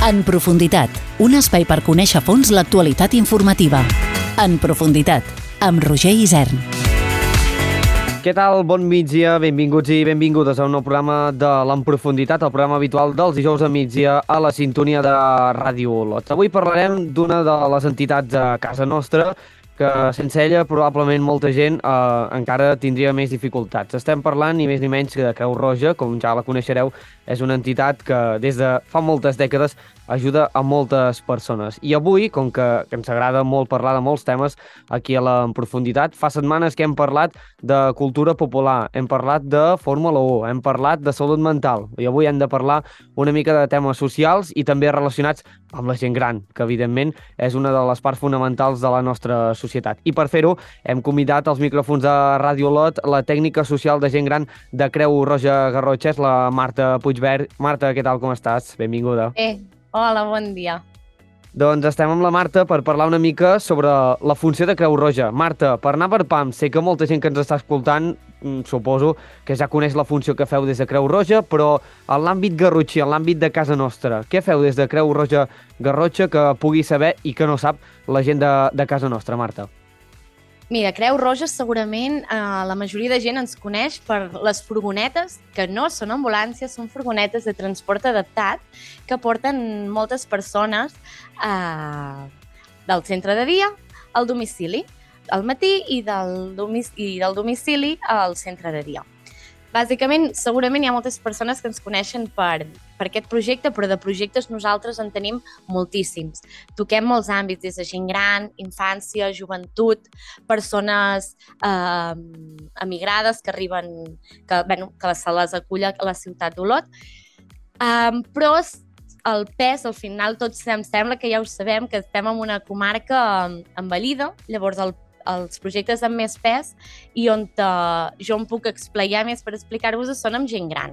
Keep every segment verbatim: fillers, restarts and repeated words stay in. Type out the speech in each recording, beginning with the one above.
En profunditat, un espai per conèixer a fons l'actualitat informativa. En profunditat, amb Roger Isern. Què tal? Bon migdia, benvinguts i benvingudes a un nou programa de l'En Profunditat, el programa habitual dels dijous a migdia a la sintonia de Ràdio Olot. Avui parlarem d'una de les entitats a casa nostra que sense ella probablement molta gent eh, encara tindria més dificultats. Estem parlant ni més ni menys que de Creu Roja, com ja la coneixereu, és una entitat que des de fa moltes dècades ajuda a moltes persones. I avui, com que, que ens agrada molt parlar de molts temes aquí a la En Profunditat, fa setmanes que hem parlat de cultura popular, hem parlat de Fórmula u, hem parlat de salut mental, i avui hem de parlar una mica de temes socials i també relacionats amb la gent gran, que evidentment és una de les parts fonamentals de la nostra societat. I per fer-ho hem convidat als micròfons de Ràdio Olot la tècnica social de gent gran de Creu Roja Garrotxa, la Marta Puigvert. Marta, què tal, com estàs? Benvinguda. Eh, hola, bon dia. Doncs estem amb la Marta per parlar una mica sobre la funció de Creu Roja. Marta, per anar per pam, sé que molta gent que ens està escoltant, suposo que ja coneix la funció que feu des de Creu Roja, però en l'àmbit garrotxí, en l'àmbit de casa nostra, què feu des de Creu Roja Garrotxa que pugui saber i que no sap la gent de, de casa nostra, Marta? Mira, Creu Roja segurament eh, la majoria de gent ens coneix per les furgonetes, que no són ambulàncies, són furgonetes de transport adaptat que porten moltes persones eh, del centre de dia al domicili, al matí i del, domic i del domicili al centre de dia. Bàsicament, segurament hi ha moltes persones que ens coneixen per, per aquest projecte, però de projectes nosaltres en tenim moltíssims. Toquem molts àmbits, des de gent gran, infància, joventut, persones eh, emigrades que arriben, que, bueno, que se les acull a la ciutat d'Olot. Um, però el pes, al final, tots em sembla que ja ho sabem, que estem en una comarca envellida, llavors el els projectes amb més pes i on uh, jo em puc explayar més per explicar-vos són amb gent gran.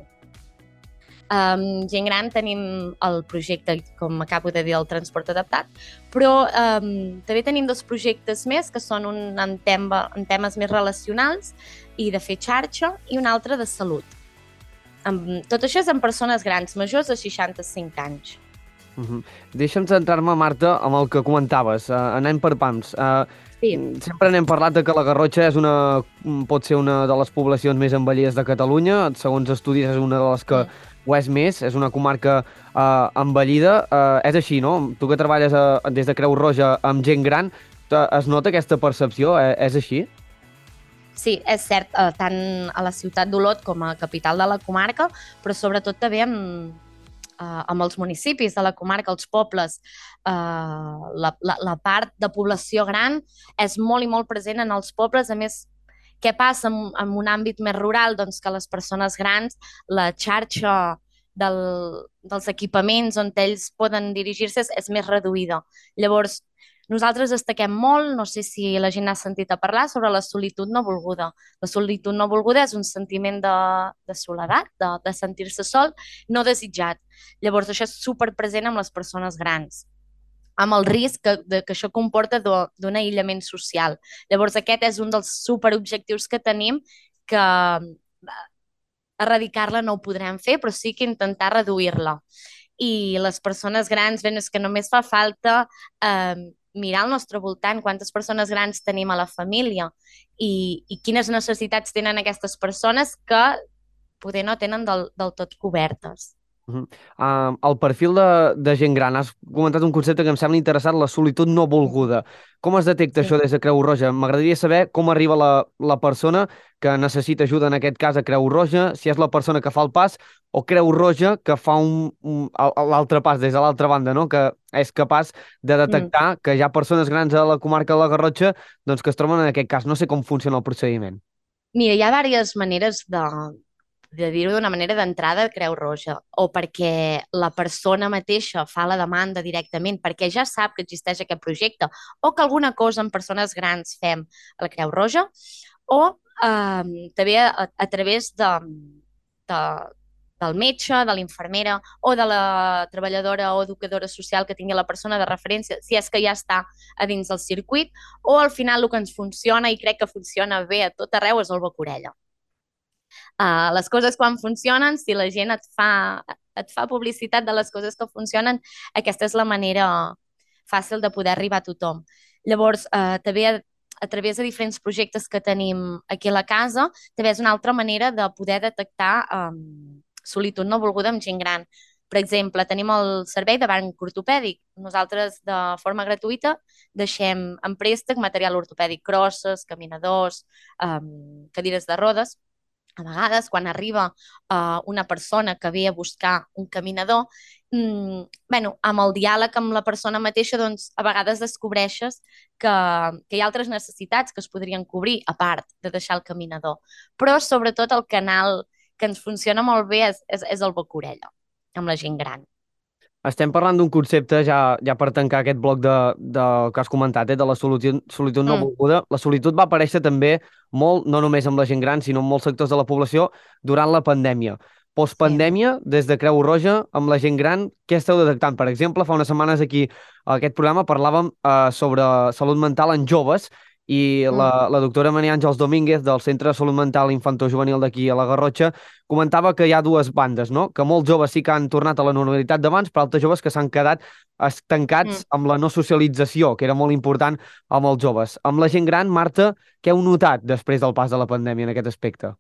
Um, gent gran tenim el projecte, com acabo de dir, el transport adaptat, però um, també tenim dos projectes més que són un en, tema, en temes més relacionals i de fer xarxa i un altre de salut. Um, tot això és amb persones grans, majors de seixanta-cinc anys. Uh-huh. Deixa'm centrar-me, Marta, amb el que comentaves. Uh, anem per pams. Uh, Sí. Sempre n'hem parlat de que la Garrotxa és una, pot ser una de les poblacions més envellides de Catalunya. Segons estudis és una de les que sí. ho és més, és una comarca eh, envellida. Eh, és així, no? Tu que treballes a, des de Creu Roja amb gent gran, es nota aquesta percepció? Eh, és així? Sí, és cert, eh, tant a la ciutat d'Olot com a capital de la comarca, però sobretot també amb Uh, amb els municipis de la comarca, els pobles, uh, la, la, la part de població gran és molt i molt present en els pobles. A més, què passa en, en un àmbit més rural? Doncs que les persones grans, la xarxa del, dels equipaments on ells poden dirigir-se és, és més reduïda. Llavors, nosaltres destaquem molt, no sé si la gent ha sentit a parlar, sobre la solitud no volguda. La solitud no volguda és un sentiment de, de soledat, de, de sentir-se sol, no desitjat. Llavors, això és superpresent amb les persones grans, amb el risc que, de, que això comporta d'un aïllament social. Llavors, aquest és un dels superobjectius que tenim, que erradicar-la no ho podrem fer, però sí que intentar reduir-la. I les persones grans, bé, és que només fa falta eh, mirar al nostre voltant quantes persones grans tenim a la família i, i quines necessitats tenen aquestes persones que poder no tenen del, del tot cobertes. Uh-huh. Uh, el perfil de, de gent gran, has comentat un concepte que em sembla interessant, la solitud no volguda. Com es detecta sí. això des de Creu Roja? M'agradaria saber com arriba la, la persona que necessita ajuda, en aquest cas a Creu Roja, si és la persona que fa el pas o Creu Roja que fa un, un, l'altre pas des de l'altra banda, no? Que és capaç de detectar mm. que hi ha persones grans a la comarca de la Garrotxa doncs, que es troben en aquest cas. No sé com funciona el procediment. Mira, hi ha diverses maneres de... de dir-ho d'una manera d'entrada a Creu Roja, o perquè la persona mateixa fa la demanda directament, perquè ja sap que existeix aquest projecte, o que alguna cosa amb persones grans fem a la Creu Roja, o eh, també a, a través de, de, del metge, de l'infermera, o de la treballadora o educadora social que tingui la persona de referència, si és que ja està a dins del circuit, o al final el que ens funciona, i crec que funciona bé a tot arreu, és el boca-orella. Uh, les coses quan funcionen, si la gent et fa, et fa publicitat de les coses que funcionen, aquesta és la manera fàcil de poder arribar a tothom. Llavors, eh, també a, a través de diferents projectes que tenim aquí a la casa, també és una altra manera de poder detectar eh, solitud no volguda amb gent gran. Per exemple, tenim el servei de banc ortopèdic. Nosaltres, de forma gratuïta, deixem en préstec material ortopèdic, crosses, caminadors, um, cadires de rodes. A vegades, quan arriba uh, una persona que ve a buscar un caminador, mm, bueno, amb el diàleg amb la persona mateixa, doncs, a vegades descobreixes que, que hi ha altres necessitats que es podrien cobrir, a part de deixar el caminador. Però, sobretot, el canal que ens funciona molt bé és, és, és el boca-orella, amb la gent gran. Estem parlant d'un concepte, ja, ja per tancar aquest bloc de, de que has comentat, eh, de la solitud, solitud no Mm. volguda. La solitud va aparèixer també molt, no només amb la gent gran, sinó en molts sectors de la població durant la pandèmia. Postpandèmia, des de Creu Roja, amb la gent gran, què esteu detectant? Per exemple, fa unes setmanes aquí a aquest programa parlàvem eh, sobre salut mental en joves i Mm. la, la doctora Maria Àngels Domínguez del Centre de Salut Mental Infantojuvenil d'aquí a la Garrotxa comentava que hi ha dues bandes, no? Que molts joves sí que han tornat a la normalitat d'abans, però altres joves que s'han quedat estancats Mm. amb la no socialització, que era molt important amb els joves. Amb la gent gran, Marta, què heu notat després del pas de la pandèmia en aquest aspecte?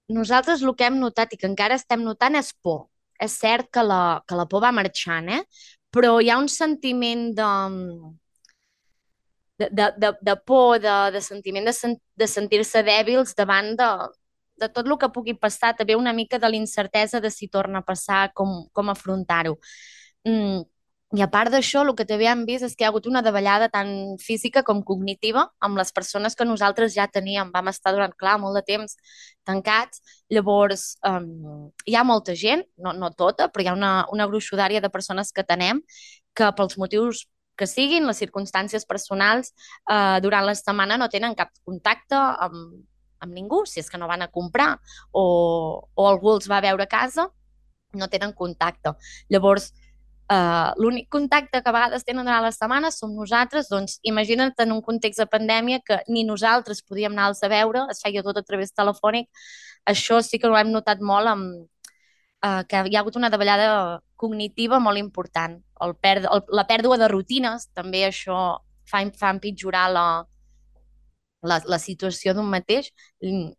Nosaltres el que hem notat i que encara estem notant és por. És cert que la, que la por va marxant, eh? Però hi ha un sentiment de, de, de, de, de por, de, de sentiment de, sen, de sentir-se dèbils davant de, de tot el que pugui passar, també una mica de l'incertesa de si torna a passar, com, com afrontar-ho. Mm. I a part d'això, el que també hem vist és que hi ha hagut una davallada tant física com cognitiva amb les persones que nosaltres ja teníem. Vam estar durant, clar, molt de temps tancats. Llavors, um, hi ha molta gent, no, no tota, però hi ha una, una gruixudària de persones que tenem que pels motius que siguin, les circumstàncies personals, eh, durant la setmana no tenen cap contacte amb, amb ningú, si és que no van a comprar o, o algú els va a veure a casa, no tenen contacte. Llavors, Uh, l'únic contacte que a vegades tenen durant la setmana som nosaltres, doncs imagina't en un context de pandèmia que ni nosaltres podíem anar-los a veure, es feia tot a través telefònic. Això sí que ho hem notat molt amb, uh, que hi ha hagut una davallada cognitiva molt important. El perd el, la pèrdua de rutines, també això fa, fa empitjorar la, la, la situació d'un mateix, i,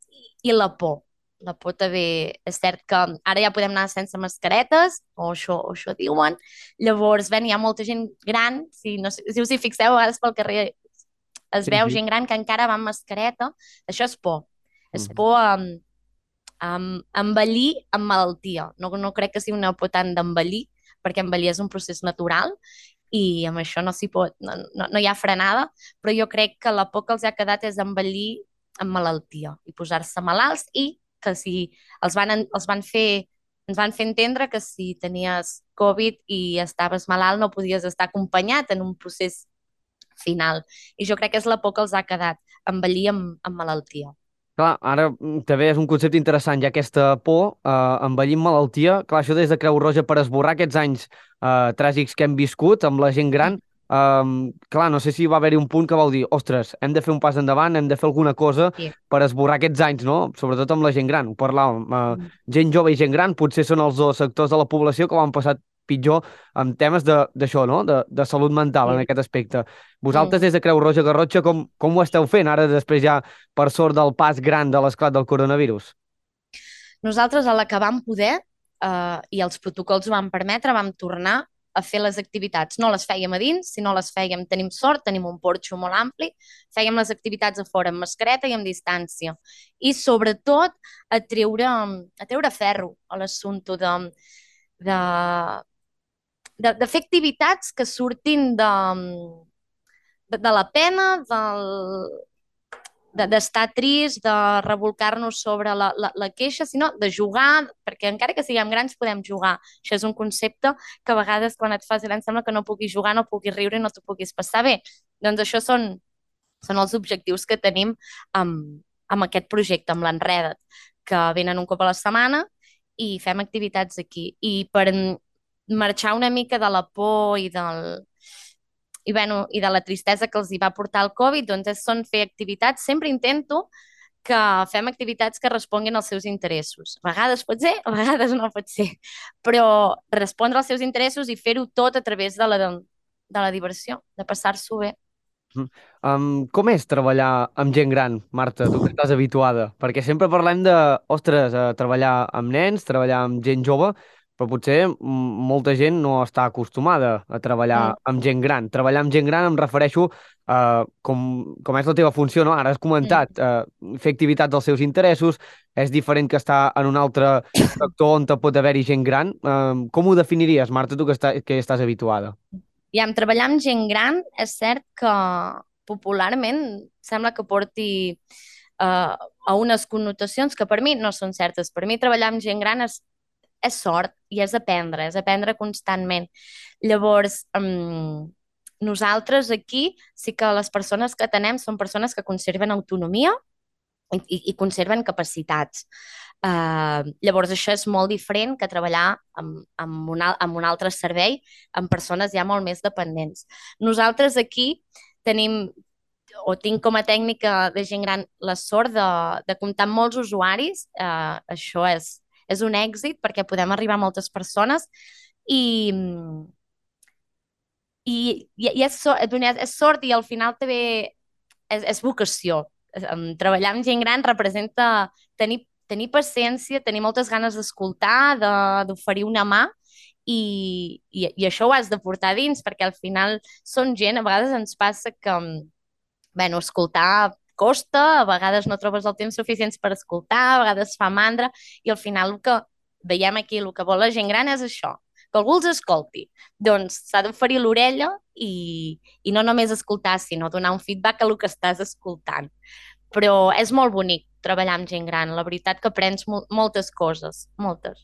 i la por. La por també és cert que ara ja podem anar sense mascaretes, o això, o això diuen. Llavors, ben, hi ha molta gent gran, si, no, si us hi fixeu, a vegades pel carrer es Sí, veu sí. gent gran que encara va amb mascareta. Això és por. És Mhm. por a, a, a envellir amb malaltia. No, no crec que sigui una por tant d'envellir, perquè envellir és un procés natural i amb això no s'hi pot, no, no, no hi ha frenada, però jo crec que la por que els ha quedat és envellir amb malaltia i posar-se malalts i que si els van, els van fer, ens van fer entendre que si tenies Covid i estaves malalt no podies estar acompanyat en un procés final. I jo crec que és la por que els ha quedat, envellir amb, amb malaltia. Clar, ara mm, també és un concepte interessant, ja aquesta por, eh, envellir amb malaltia. Clar, això des de Creu Roja per esborrar aquests anys eh, tràgics que hem viscut amb la gent gran. Um, clar, no sé si va haver-hi un punt que vau dir, ostres, hem de fer un pas endavant, hem de fer alguna cosa Sí. per esborrar aquests anys, no? Sobretot amb la gent gran. Ho parlàvem. Uh, Mm. gent jove i gent gran potser són els dos sectors de la població que ho han passat pitjor amb temes de- d'això, no? De, de salut mental en Sí. aquest aspecte. Vosaltres, Mm. des de Creu Roja Garrotxa, com, com ho esteu fent ara després ja, per sort del pas gran de l'esclat del coronavirus? Nosaltres, a la que vam poder, eh, i els protocols ho van permetre, vam tornar a fer les activitats. No les fèiem a dins, sinó les fèiem, tenim sort, tenim un porxo molt ampli, fèiem les activitats a fora amb mascareta i amb distància. I sobretot a treure, a treure ferro a l'assumpte de, de, de, de fer activitats que surtin de, de, de la pena, del, d'estar trist, de revolcar-nos sobre la, la, la queixa, sinó de jugar, perquè encara que siguem grans podem jugar. Això és un concepte que a vegades quan et fas gran sembla que no puguis jugar, no puguis riure i no t'ho puguis passar bé. Doncs això són, són els objectius que tenim amb, amb aquest projecte, amb l'Enreda't, que venen un cop a la setmana i fem activitats aquí. I per marxar una mica de la por i del i, bueno, i de la tristesa que els hi va portar el Covid, doncs és, són fer activitats. Sempre intento que fem activitats que responguin als seus interessos. A vegades pot ser, a vegades no pot ser, però respondre als seus interessos i fer-ho tot a través de la, de la diversió, de passar-s'ho bé. Um, com és treballar amb gent gran, Marta, tu que estàs habituada? Perquè sempre parlem de, ostres, uh, treballar amb nens, treballar amb gent jove, però potser mm, molta gent no està acostumada a treballar Mm. amb gent gran. Treballar amb gent gran em refereixo uh, com, com és la teva funció, no? Ara has comentat, uh, fer activitats dels seus interessos, és diferent que estar en un altre sector on te pot haver-hi gent gran. Uh, com ho definiries, Marta, tu que, està, que estàs habituada? I amb treballar amb gent gran, és cert que popularment sembla que porti uh, a unes connotacions que per mi no són certes. Per mi treballar amb gent gran és, és sort i és aprendre, és aprendre constantment. Llavors, um, nosaltres aquí sí que les persones que tenem són persones que conserven autonomia i, i, i conserven capacitats. Uh, llavors això és molt diferent que treballar amb, amb, un, amb un altre servei amb persones ja molt més dependents. Nosaltres aquí tenim o tinc com a tècnica de gent gran la sort de, de comptar amb molts usuaris. Uh, això és, és un èxit perquè podem arribar a moltes persones i, i, i és, és sort i al final també és, és vocació. Treballar amb gent gran representa tenir, tenir paciència, tenir moltes ganes d'escoltar, d'oferir una mà i, i, i això ho has de portar dins perquè al final són gent, a vegades ens passa que bueno, escoltar costa, a vegades no trobes el temps suficient per escoltar, a vegades fa mandra i al final el que veiem aquí, el que vol la gent gran és això, que algú els escolti. Doncs s'ha d'oferir l'orella i, i no només escoltar, sinó donar un feedback a el que estàs escoltant. Però és molt bonic treballar amb gent gran. La veritat que aprens mo moltes coses, moltes.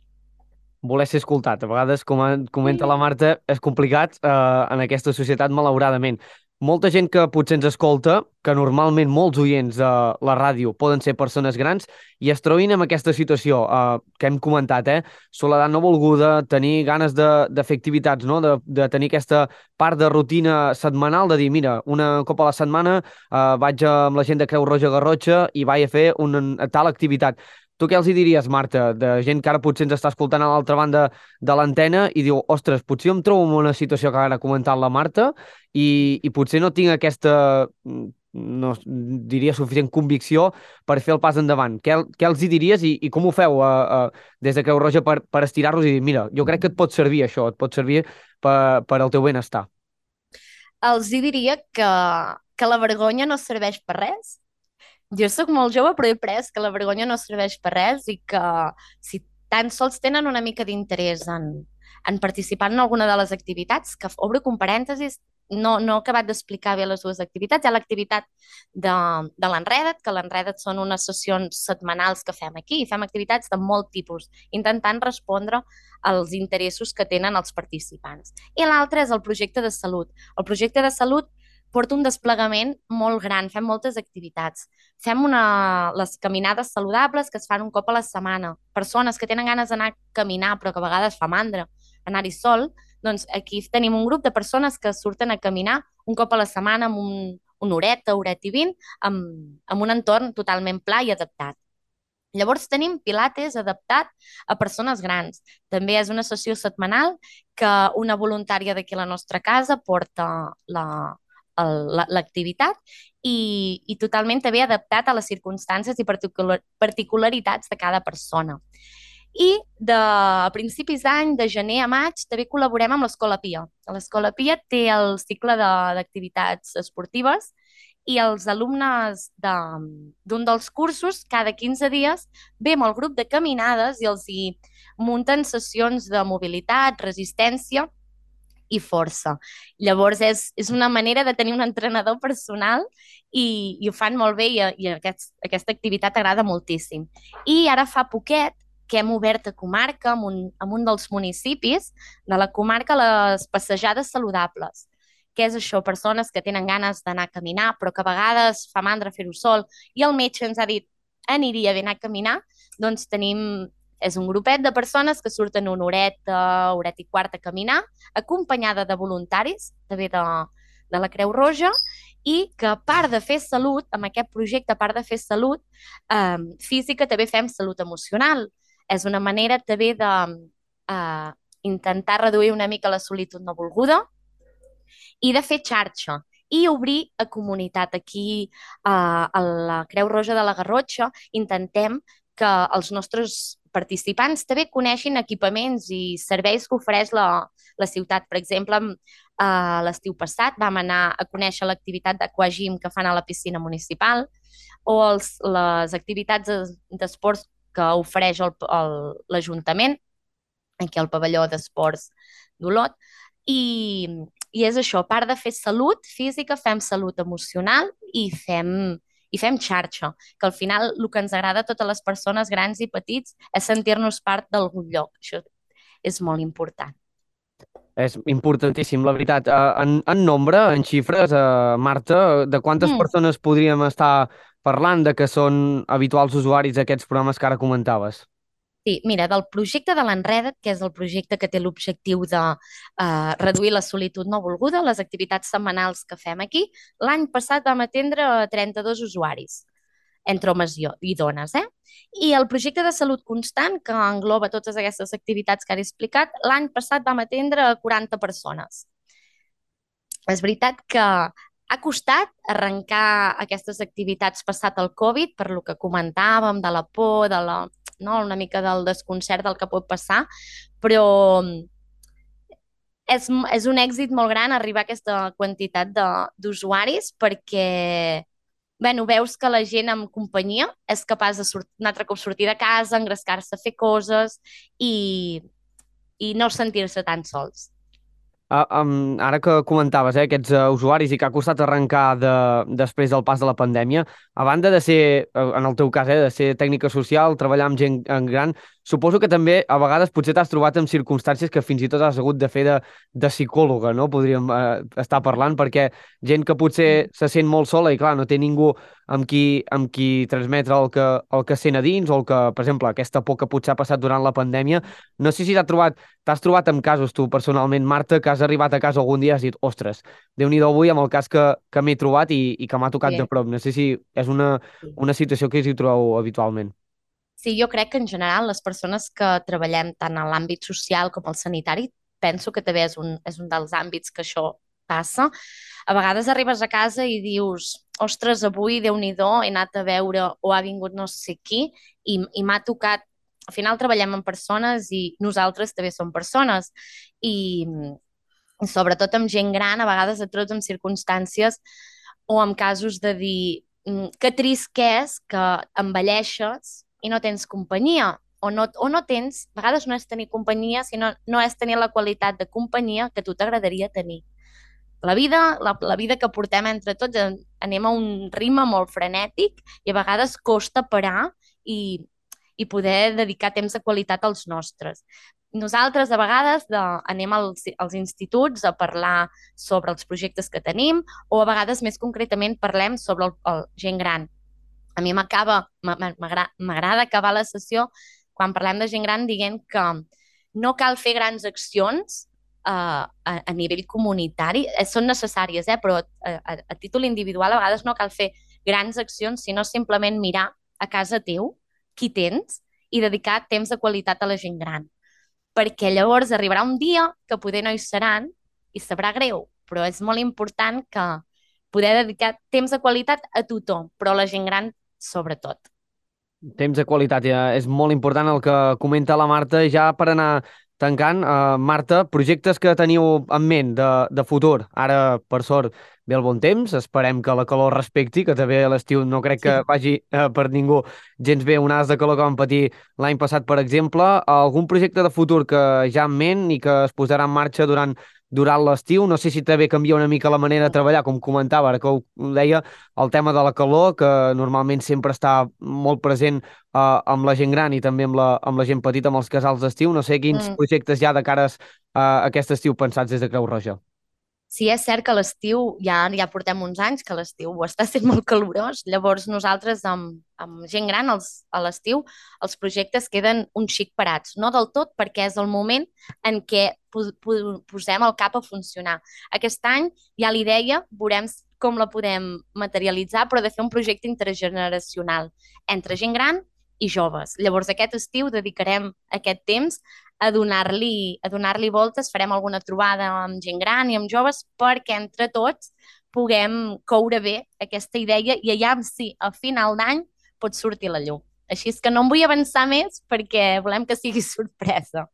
Voler ser escoltat. A vegades, com comenta la Marta, és complicat eh, en aquesta societat, malauradament. Molta gent que potser ens escolta, que normalment molts oients de la ràdio poden ser persones grans i es trobin en aquesta situació eh, que hem comentat, eh? Soledat no volguda, tenir ganes de, de fer activitats, no? de, de tenir aquesta part de rutina setmanal, de dir, mira, una cop a la setmana eh, vaig amb la gent de Creu Roja Garrotxa i vaig a fer una tal activitat. Tu què els hi diries, Marta, de gent que ara potser ens està escoltant a l'altra banda de l'antena i diu, ostres, potser em trobo en una situació que ara ha comentat la Marta i, i potser no tinc aquesta, no diria, suficient convicció per fer el pas endavant. Què, què els hi diries i, i com ho feu uh, uh, des de Creu Roja per, per estirar-los i dir, mira, jo crec que et pot servir això, et pot servir per, per al teu benestar? Els hi diria que, que la vergonya no serveix per res. Jo sóc molt jove, però he après que la vergonya no serveix per res i que si tan sols tenen una mica d'interès en, en participar en alguna de les activitats, que obro un parèntesis, no, no he acabat d'explicar bé les dues activitats. Hi ha l'activitat de, de l'Enreda't, que l'Enreda't són unes sessions setmanals que fem aquí i fem activitats de molt tipus, intentant respondre als interessos que tenen els participants. I l'altre és el projecte de salut. El projecte de salut porta un desplegament molt gran, fem moltes activitats. Fem una, les caminades saludables que es fan un cop a la setmana. Persones que tenen ganes d'anar a caminar però que a vegades fa mandra anar-hi sol, doncs aquí tenim un grup de persones que surten a caminar un cop a la setmana amb un, una horeta, horeta i vint, amb, amb un entorn totalment pla i adaptat. Llavors tenim pilates adaptat a persones grans. També és una sessió setmanal que una voluntària d'aquí a la nostra casa porta la, l'activitat i, i totalment també adaptat a les circumstàncies i particular, particularitats de cada persona. I de a principis d'any, de gener a maig, també col·laborem amb l'Escola Pia. L'Escola Pia té el cicle d'activitats esportives i els alumnes d'un de, dels cursos, cada quinze dies, ve amb el grup de caminades i els hi munten sessions de mobilitat, resistència i força. Llavors és, és una manera de tenir un entrenador personal i, i ho fan molt bé i, i aquest, aquesta activitat agrada moltíssim. I ara fa poquet que hem obert a comarca, en un, en un dels municipis de la comarca, les passejades saludables. Què és això? Persones que tenen ganes d'anar a caminar però que a vegades fa mandra fer-ho sol i el metge ens ha dit aniria bé anar a caminar, doncs tenim... És un grupet de persones que surten una horeta, horeta i quarta a caminar, acompanyada de voluntaris, també de, de la Creu Roja, i que a part de fer salut, amb aquest projecte, a part de fer salut eh, física, també fem salut emocional. És una manera també de eh, intentar reduir una mica la solitud no volguda i de fer xarxa i obrir a comunitat. Aquí eh, a la Creu Roja de la Garrotxa intentem que els nostres participants també coneixin equipaments i serveis que ofereix la, la ciutat. Per exemple, eh, l'estiu passat vam anar a conèixer l'activitat d'aquagym que fan a la piscina municipal o els, les activitats d'esports que ofereix l'Ajuntament, aquí al pavelló d'esports d'Olot, i, i és això, a part de fer salut física, fem salut emocional i fem, i fem xarxa, que al final el que ens agrada a totes les persones grans i petits és sentir-nos part d'algun lloc. Això és molt important. És importantíssim, la veritat. Eh, En, en nombre, en xifres, eh, Marta, de quantes Mm. persones podríem estar parlant de que són habituals usuaris d'aquests programes que ara comentaves? Sí, mira, del projecte de l'Enreda't, que és el projecte que té l'objectiu de eh, reduir la solitud no volguda, les activitats setmanals que fem aquí, l'any passat vam atendre trenta-dos usuaris, entre homes i, i dones. Eh? I el projecte de salut constant, que engloba totes aquestes activitats que ara he explicat, l'any passat vam atendre quaranta persones. És veritat que ha costat arrencar aquestes activitats passat el Covid, per lo que comentàvem, de la por, de la, no? una mica del desconcert del que pot passar, però és, és un èxit molt gran arribar a aquesta quantitat d'usuaris perquè bueno, veus que la gent amb companyia és capaç de sort, un altre cop sortir de casa, engrescar-se a fer coses i, i no sentir-se tan sols. Uh, um, ara que comentaves eh, aquests uh, usuaris i que ha costat arrencar de, després del pas de la pandèmia, a banda de ser, uh, en el teu cas, eh, de ser tècnica social, treballar amb gent en gran, suposo que també a vegades potser t'has trobat en circumstàncies que fins i tot has hagut de fer de, de psicòloga, no? Podríem uh, estar parlant, perquè gent que potser se sent molt sola i clar, no té ningú amb qui, amb qui transmetre el que, el que sent a dins o el que, per exemple, aquesta por que potser ha passat durant la pandèmia. No sé si t'has trobat, t'has trobat amb casos tu personalment, Marta, que has arribat a casa algun dia i has dit, ostres, Déu-n'hi-do avui amb el cas que, que m'he trobat i, i que m'ha tocat Sí. de prop. No sé si és una, una situació que us hi trobeu habitualment. Sí, jo crec que en general les persones que treballem tant en l'àmbit social com el sanitari, penso que també és un, és un dels àmbits que això passa. A vegades arribes a casa i dius, ostres, avui, Déu-n'hi-do, he anat a veure o ha vingut no sé qui i, i m'ha tocat. Al final treballem amb persones i nosaltres també som persones i, i sobretot amb gent gran, a vegades et trobes en circumstàncies o en casos de dir mm, que trist que és que envelleixes i no tens companyia, o no, o no tens, a vegades no és tenir companyia, sinó no és tenir la qualitat de companyia que a tu t'agradaria tenir. La vida, la, la vida que portem entre tots, anem a un ritme molt frenètic i a vegades costa parar i, i poder dedicar temps de qualitat als nostres. Nosaltres a vegades de, anem als, als instituts a parlar sobre els projectes que tenim o a vegades més concretament parlem sobre el, el gent gran. A mi m'acaba, m'agrada acabar la sessió quan parlem de gent gran dient que no cal fer grans accions uh, a, a nivell comunitari, eh, són necessàries, eh, però a, a, a títol individual a vegades no cal fer grans accions, sinó simplement mirar a casa teu qui tens i dedicar temps de qualitat a la gent gran. Perquè llavors arribarà un dia que poder no hi seran i sabrà greu, però és molt important que poder dedicar temps de qualitat a tothom, però a la gent gran sobretot. Temps de qualitat, ja és molt important el que comenta la Marta. Ja per anar tancant, uh, Marta, projectes que teniu en ment de, de futur. Ara, per sort, ve el bon temps, esperem que la calor respecti, que també a l'estiu no crec que vagi uh, per ningú gens bé onades de calor que vam patir l'any passat, per exemple. Algun projecte de futur que ja en ment i que es posarà en marxa durant durant l'estiu, no sé si també canvia una mica la manera de treballar, com comentava, ara que ho deia, el tema de la calor, que normalment sempre està molt present eh, amb la gent gran i també amb la, amb la gent petita, amb els casals d'estiu. No sé quins Mm. projectes ja de cares a aquest estiu pensats des de Creu Roja. Sí, és cert que l'estiu, ja, ja portem uns anys que l'estiu està sent molt calorós, llavors nosaltres amb, amb gent gran els, a l'estiu els projectes queden un xic parats, no del tot perquè és el moment en què po po posem el cap a funcionar. Aquest any ja li deia, veurem com la podem materialitzar, però de fer un projecte intergeneracional entre gent gran i joves. Llavors, aquest estiu dedicarem aquest temps a donar-li a donar-li voltes, farem alguna trobada amb gent gran i amb joves perquè entre tots puguem coure bé aquesta idea i allà sí, a final d'any pot sortir la llum. Així és que no em vull avançar més perquè volem que sigui sorpresa.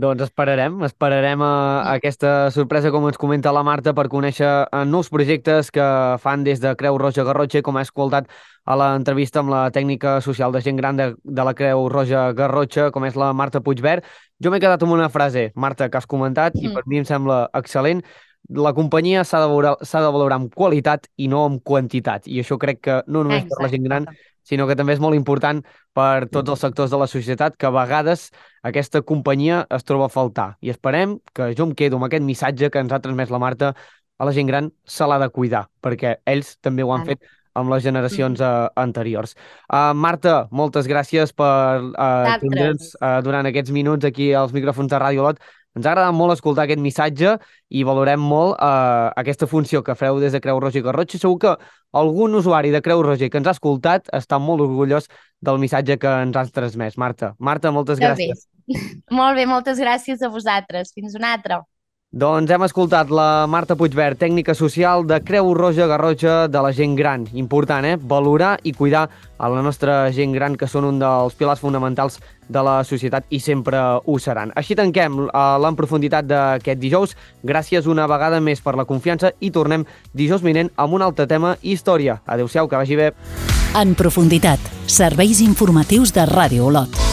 Doncs esperarem, esperarem a, a aquesta sorpresa, com ens comenta la Marta, per conèixer nous projectes que fan des de Creu Roja Garrotxa, com ha escoltat a l'entrevista amb la tècnica social de gent gran de, de la Creu Roja Garrotxa, com és la Marta Puigvert. Jo m'he quedat amb una frase, Marta, que has comentat, mm. i per mi em sembla excel·lent. La companyia s'ha de, valorar, s'ha de valorar amb qualitat i no amb quantitat. I això crec que no només Exacte. Per la gent gran, sinó que també és molt important per tots els sectors de la societat, que a vegades aquesta companyia es troba a faltar. I esperem que jo em quedo amb aquest missatge que ens ha transmès la Marta: a la gent gran se l'ha de cuidar, perquè ells també ho han fet amb les generacions uh, anteriors. Uh, Marta, moltes gràcies per uh, tindre'ns uh, durant aquests minuts aquí als micròfons de Ràdio Olot. Ens ha agradat molt escoltar aquest missatge i valorem molt uh, aquesta funció que fareu des de Creu Roja i Garrotxa. Segur que algun usuari de Creu Roja que ens ha escoltat està molt orgullós del missatge que ens has transmès. Marta, Marta, moltes gràcies. Bé. Molt bé, moltes gràcies a vosaltres. Fins una altra. Doncs hem escoltat la Marta Puigvert, tècnica social de Creu Roja Garrotxa de la gent gran. Important, eh? Valorar i cuidar a la nostra gent gran, que són un dels pilars fonamentals de la societat i sempre ho seran. Així tanquem l'En Profunditat d'aquest dijous. Gràcies una vegada més per la confiança i tornem dijous vinent amb un altre tema i història. Adéu-siau, que vagi bé. En Profunditat, serveis informatius de Ràdio Olot.